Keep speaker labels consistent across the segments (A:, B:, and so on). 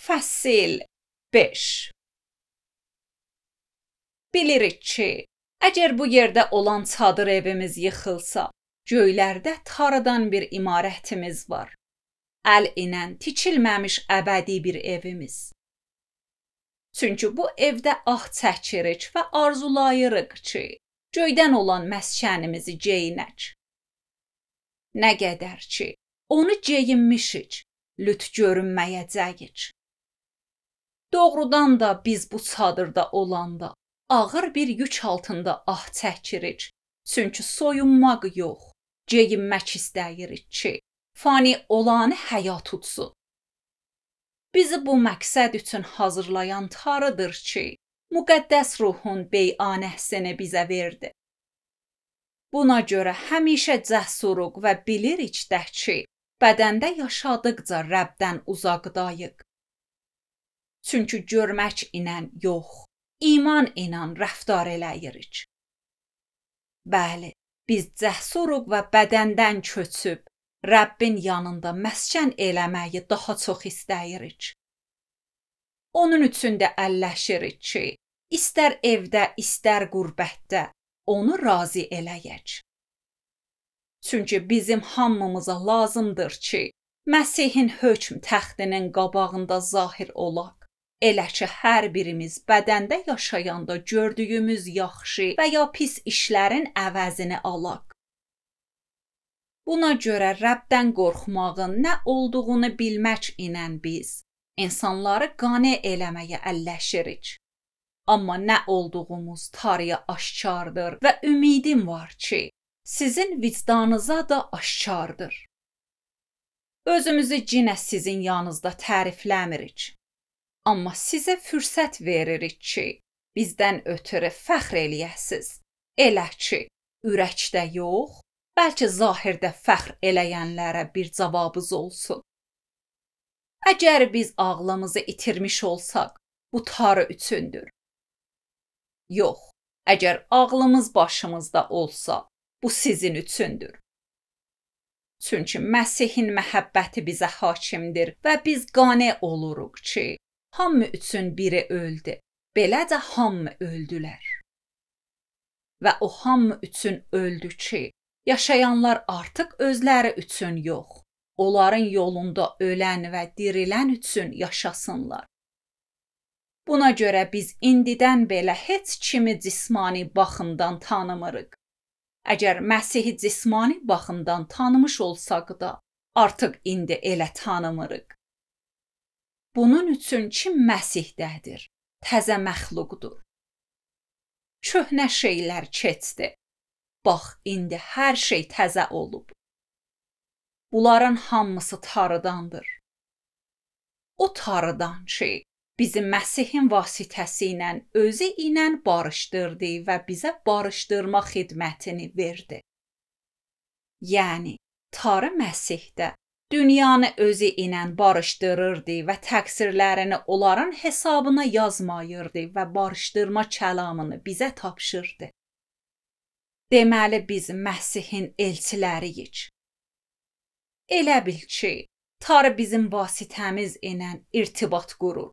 A: Fəsil 5. Bilirik ki, əgər bu yerdə olan çadır evimiz yıxılsa, göylərdə taradan bir imarətimiz var. Əl ilə tikilməmiş əbədi bir evimiz. Çünki bu evdə ah çəkirik və arzulayırıq ki, göydən olan məskənimizi geyinək. Nə qədər ki, onu geyinmişik, lüt görünməyəcəyik. Doğrudan da biz bu çadırda olanda ağır bir yük altında ah çəkirik. Çünki soyunmaq yox, geyinmək istəyirik ki, fani olanı həyat tutsun. Bizi bu məqsəd üçün hazırlayan Tanrıdır ki, müqəddəs ruhun beyanəsini bizə verdi. Buna görə həmişə cəsuruq və bilirik də ki, bədəndə yaşadıqca Rəbdən uzaqdayıq. Çünki görmək ilə yox, iman ilə rəftar eləyirik. Bəli, biz cəsuruq və bədəndən köçüb, Rəbbin yanında məskən eləməyi daha çox istəyirik. Onun üçün də əlləşirik ki, istər evdə, istər qürbətdə onu razı eləyək. Çünki bizim hamımıza lazımdır ki, Məsihin hökm təxtinin qabağında zahir olaq. Elə ki, hər birimiz bədəndə yaşayanda gördüyümüz yaxşı və ya pis işlərin əvəzini alaq. Buna görə Rəbdən qorxmağın nə olduğunu bilmək ilə biz insanları qane eləməyə əlləşirik. Amma nə olduğumuz Tanrıya aşkardır və ümidim var ki, sizin vicdanınıza da aşkardır. Özümüzü yenə sizin yanınızda tərifləmirik. Amma sizə fürsət veririk ki, bizdən ötürü fəxr eləyəsiz. Elə ki, ürəkdə yox, bəlkə zahirdə fəxr eləyənlərə bir cavabınız olsun. Əgər biz ağlımızı itirmiş olsaq, bu Tanrı üçündür. Yox, əgər ağlımız başımızda olsa, bu sizin üçündür. Çünki Məsihin məhəbbəti bizə hakimdir və biz qane oluruq ki, hamı üçün biri öldü, belə də hamı öldülər. Və o hamı üçün öldü ki, yaşayanlar artıq özləri üçün yox, onların yolunda ölən və dirilən üçün yaşasınlar. Buna görə biz indidən belə heç kimi cismani baxımdan tanımırıq. Əgər Məsihi cismani baxımdan tanımış olsaq da, artıq indi elə tanımırıq. Bunun üçün ki, Məsihdədir, təzə məxluqdur. Köhnə şeylər keçdi. Bax, indi hər şey təzə olub. Bunların hamısı Tanrıdandır. O Tanrıdan ki, bizi Məsihin vasitəsi ilə özü ilə barışdırdı və bizə barışdırma xidmətini verdi. Yəni, Tanrı Məsihdə dünyanı özü ilə barışdırırdı və təqsirlərini onların hesabına yazmayırdı və barışdırma kəlamını bizə tapşırdı. Deməli, biz Məsihin elçiləriyik. Elə bil ki, Tanrı bizim vasitəmiz ilə irtibat qurur.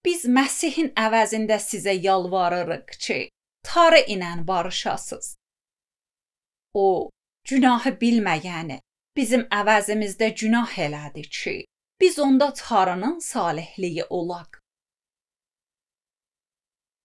A: Biz Məsihin əvəzində sizə yalvarırıq ki, Tanrı ilə barışasınız. O, günahı bilməyəni bizim əvəzimizdə günah elədi ki, biz onda Tanrının salihliyi olaq.